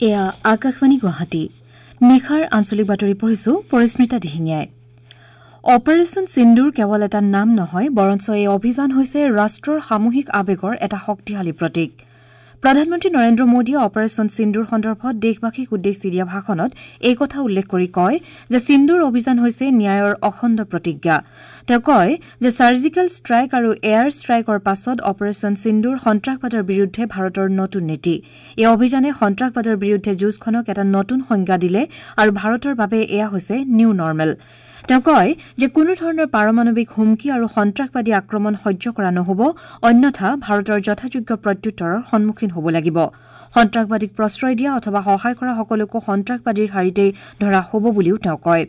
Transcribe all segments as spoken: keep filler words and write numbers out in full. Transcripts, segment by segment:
এয়া আকাশবাণী গুৱাহাটী। নিশাৰ আঞ্চলিক বাতৰি পঢ়িছো পৰিস্মিতা দিহিঙীয়াই। অপাৰেচন সিন্দুৰ কেৱল এটা নাম নহয়, বৰঞ্চ এই অভিযান হৈছে ৰাষ্ট্ৰৰ সামূহিক আৱেগৰ এটা শক্তিশালী প্ৰতীক। প্ৰধানমন্ত্ৰী নৰেন্দ্ৰ মোদীয়ে অপাৰেচন সিন্দুৰ সন্দৰ্ভত দেশবাসীক উদ্দেশ্যি দিয়া ভাষণত এই কথা উল্লেখ কৰি কয় যে সিন্দুৰ অভিযান হৈছে ন্যায়ৰ অখণ্ড প্ৰতিজ্ঞা। তেওঁ কয় যে ছাৰ্জিকেল ষ্ট্ৰাইক আৰু এয়াৰ ষ্ট্ৰাইকৰ পাছত অপাৰেচন সিন্দুৰ সন্ত্ৰাসবাদৰ বিৰুদ্ধে ভাৰতৰ নতুন নীতি। এই অভিযানে সন্ত্ৰাসবাদৰ বিৰুদ্ধে যুঁজখনক এটা নতুন সংজ্ঞা দিলে আৰু ভাৰতৰ বাবে এয়া হৈছে নিউ নৰ্মেল। তেওঁ কয় যে কোনো ধৰণৰ পাৰমাণৱিক হুমকি আৰু সন্ত্ৰাসবাদী আক্ৰমণ সহ্য কৰা নহ'ব, অন্যথা ভাৰতৰ যথাযোগ্য প্ৰত্যুত্তৰৰ সন্মুখীন হ'ব লাগিব। সন্ত্ৰাসবাদীক প্ৰশ্ৰয় দিয়া অথবা সহায় কৰা সকলোকো সন্ত্ৰাসবাদীৰ শাৰীতেই ধৰা হ'ব বুলিও তেওঁ কয়।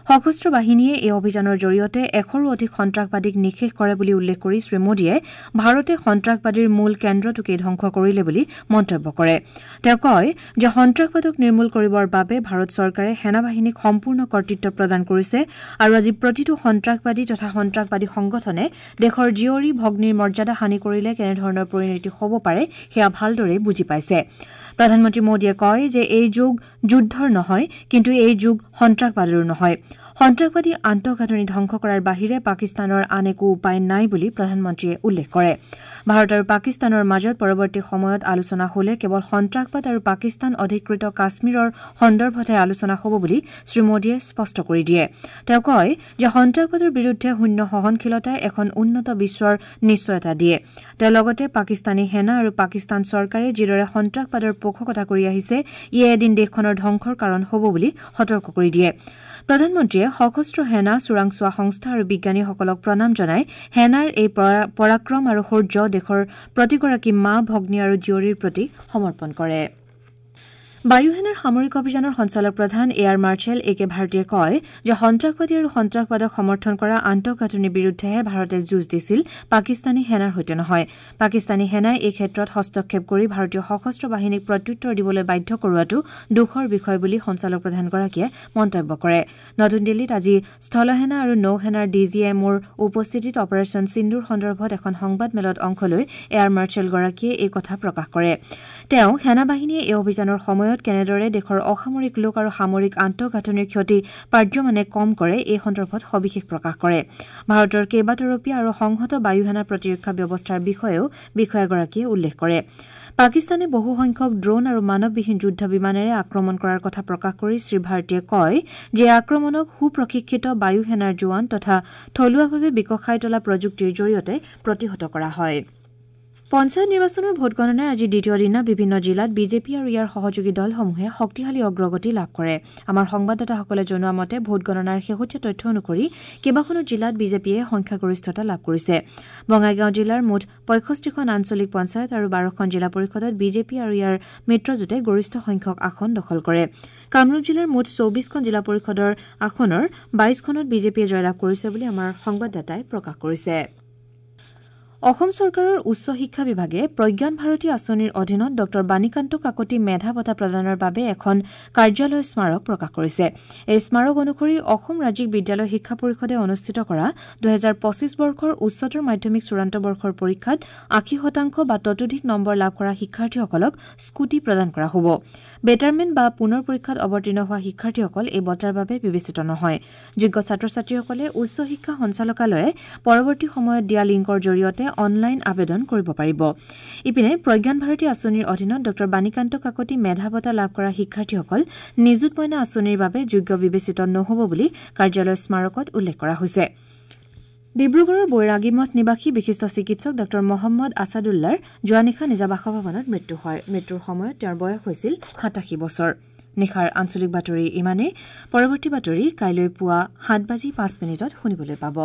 সশস্ত্ৰ বাহিনীয়ে এই অভিযানৰ জৰিয়তে এশৰো অধিক সন্ত্ৰাসবাদীক নিঃশেষ কৰে বুলি উল্লেখ কৰি শ্ৰীমোদীয়ে ভাৰতে সন্ত্ৰাসবাদীৰ মূল কেন্দ্ৰটোকেই ধ্বংস কৰিলে বুলি মন্তব্য কৰে। তেওঁ কয় যে সন্ত্ৰাসবাদক নিৰ্মূল কৰিবৰ বাবে ভাৰত চৰকাৰে সেনাবাহিনীক সম্পূৰ্ণ কৰ্তৃত্ব প্ৰদান কৰিছে আৰু আজি প্ৰতিটো সন্ত্ৰাসবাদী তথা সন্ত্ৰাসবাদী সংগঠনে দেশৰ জীয়ৰী ভগ্নীৰ মৰ্যাদা হানি কৰিলে কেনেধৰণৰ পৰিণতি হ'ব পাৰে সেয়া ভালদৰে বুজি পাইছে। প্ৰধানমন্ত্ৰী মোদীয়ে কয় যে এই যুগ যুদ্ধৰ নহয়, কিন্তু এই যুগ সন্ত্ৰাসবাদৰো নহয়। সন্ত্ৰাসবাদী আন্তঃগাঁথনি ধ্বংস কৰাৰ বাহিৰে পাকিস্তানৰ আন একো উপায় নাই বুলি প্ৰধানমন্ত্ৰীয়ে উল্লেখ কৰে। ভাৰত আৰু পাকিস্তানৰ মাজত পৰৱৰ্তী সময়ত আলোচনা হলে কেৱল সন্ত্ৰাসবাদ আৰু পাকিস্তান অধিকৃত কাশ্মীৰৰ সন্দৰ্ভতহে আলোচনা হ'ব বুলি শ্ৰীমোদীয়ে স্পষ্ট কৰি দিয়ে। তেওঁ কয় যে সন্ত্ৰাসবাদৰ বিৰুদ্ধে শূন্য সহনশীলতাই এখন উন্নত বিশ্বৰ নিশ্চয়তা দিয়ে। তেওঁ লগতে পাকিস্তানী সেনা আৰু পাকিস্তান চৰকাৰে যিদৰে সন্ত্ৰাসবাদৰ পোষকতা কৰি আহিছে, ইয়ে এদিন দেশখনৰ ধ্বংসৰ কাৰণ হ'ব বুলি সতৰ্ক কৰি দিয়ে। প্ৰধানমন্ত্ৰীয়ে সশস্ত্ৰ সেনা, চোৰাংচোৱা সংস্থা আৰু বিজ্ঞানীসকলক প্ৰণাম জনাই সেনাৰ এই পৰাক্ৰম আৰু শৌৰ্য দেশৰ প্ৰতিগৰাকী মা, ভগ্নী আৰু জীয়ৰীৰ প্ৰতি সমৰ্পণ কৰে। বায়ুসেনাৰ সামৰিক অভিযানৰ সঞ্চালক প্ৰধান এয়াৰ মাৰ্শ্বেল এ কে ভাৰতীয়ে কয় যে সন্ত্ৰাসবাদী আৰু সন্ত্ৰাসবাদক সমৰ্থন কৰা আন্তঃগাঁথনিৰ বিৰুদ্ধেহে ভাৰতে যুঁজ দিছিল, পাকিস্তানী সেনাৰ সৈতে নহয়। পাকিস্তানী সেনাই এই ক্ষেত্ৰত হস্তক্ষেপ কৰি ভাৰতীয় সশস্ত্ৰ বাহিনীক প্ৰত্যুত্তৰ দিবলৈ বাধ্য কৰোৱাটো দুখৰ বিষয় বুলি সঞ্চালক প্ৰধানগৰাকীয়ে মন্তব্য কৰে। নতুন দিল্লীত আজি স্থলসেনা আৰু নৌসেনাৰ ডি জি এম অ'ৰ উপস্থিতিত অপাৰেচন সিন্দুৰ সন্দৰ্ভত এখন সংবাদমেলত অংশ লৈ এয়াৰ মাৰ্শ্বেলগৰাকীয়ে এই কথা প্ৰকাশ কৰে। তেওঁ সেনাবাহিনীয়ে এই অভিযানৰ সময়ত কেনেদৰে দেশৰ অসামৰিক লোক আৰু সামৰিক আন্তঃগাঁথনিৰ ক্ষতি পাৰ্যমানে কম কৰে এই সন্দৰ্ভত সবিশেষ প্ৰকাশ কৰে। ভাৰতৰ কেইবাতৰপীয়া আৰু সংহত বায়ুসেনা প্ৰতিৰক্ষা ব্যৱস্থাৰ বিষয়েও বিষয়াগৰাকীয়ে উল্লেখ কৰে। পাকিস্তানে বহুসংখ্যক ড্ৰোন আৰু মানৱবিহীন যুদ্ধ বিমানেৰে আক্ৰমণ কৰাৰ কথা প্ৰকাশ কৰি শ্ৰীভাৰতীয়ে কয় যে এই আক্ৰমণক সুপ্ৰশিক্ষিত বায়ুসেনাৰ জোৱান তথা থলুৱাভাৱে বিকশাই তোলা প্ৰযুক্তিৰ জৰিয়তে প্ৰতিহত কৰা হয়। পঞ্চায়ত নিৰ্বাচনৰ ভোটগণনাৰ আজি দ্বিতীয় দিনা বিভিন্ন জিলাত বিজেপি আৰু ইয়াৰ সহযোগী দলসমূহে শক্তিশালী অগ্ৰগতি লাভ কৰে। আমাৰ সংবাদদাতাসকলে জনোৱা মতে ভোটগণনাৰ শেহতীয়া তথ্য অনুসৰি কেইবাখনো জিলাত বিজেপিয়ে সংখ্যাগৰিষ্ঠতা লাভ কৰিছে। বঙাইগাঁও জিলাৰ মুঠ পঁয়ষষ্ঠিখন আঞ্চলিক পঞ্চায়ত আৰু বাৰখন জিলা পৰিষদত বিজেপি আৰু ইয়াৰ মিত্ৰজোঁটে গৰিষ্ঠ সংখ্যক আসন দখল কৰে। কামৰূপ জিলাৰ মুঠ চৌবিশখন জিলা পৰিষদৰ আসনৰ বাইশখনত বিজেপিয়ে জয়লাভ কৰিছে বুলি আমাৰ সংবাদদাতাই প্ৰকাশ কৰিছে। অসম চৰকাৰৰ উচ্চ শিক্ষা বিভাগে প্ৰজ্ঞান ভাৰতী আঁচনিৰ অধীনত ডঃ বাণীকান্ত কাকতি মেধা বঁটা প্ৰদানৰ বাবে এখন কাৰ্যালয় স্মাৰক প্ৰকাশ কৰিছে। এই স্মাৰক অনুসৰি অসম ৰাজ্যিক বিদ্যালয় শিক্ষা পৰিষদে অনুষ্ঠিত কৰা দুহেজাৰ পঁচিছ বৰ্ষৰ উচ্চতৰ মাধ্যমিক চূড়ান্ত বৰ্ষৰ পৰীক্ষাত আশী শতাংশ বা ততোধিক নম্বৰ লাভ কৰা শিক্ষাৰ্থীসকলক স্কুটি প্ৰদান কৰা হ'ব। বেটাৰমেণ্ট বা পুনৰ পৰীক্ষাত অৱতীৰ্ণ হোৱা শিক্ষাৰ্থীসকল এই বঁটাৰ বাবে বিবেচিত নহয়। যোগ্য ছাত্ৰ ছাত্ৰীসকলে উচ্চ শিক্ষা সঞ্চালকালয়ে পৰৱৰ্তী সময়ত দিয়া লিংকৰ জৰিয়তে অনলাইন আবেদন কৰিব পাৰিব। ইপিনে প্ৰজ্ঞান ভাৰতী আঁচনিৰ অধীনত ডঃ বাণীকান্ত কাকতি মেধা বঁটা লাভ কৰা শিক্ষাৰ্থীসকল নিযুত মইনা আঁচনিৰ বাবে যোগ্য বিবেচিত নহ'ব বুলি কাৰ্যালয় স্মাৰকত উল্লেখ কৰা হৈছে। ডিব্ৰুগড়ৰ বৈৰাগীমঠ নিবাসী বিশিষ্ট চিকিৎসক ডঃ মহম্মদ আছাদুল্লাৰ যোৱা নিশা নিজা বাসভৱনত মৃত্যু হয়। মৃত্যুৰ সময়ত তেওঁৰ বয়স হৈছিল সাতাশী বছৰ। নিশাৰ আঞ্চলিক বাতৰি ইমানেই। পৰৱৰ্তী বাতৰি কাইলৈ পুৱা সাত বাজি পাঁচ মিনিটত শুনিবলৈ পাব।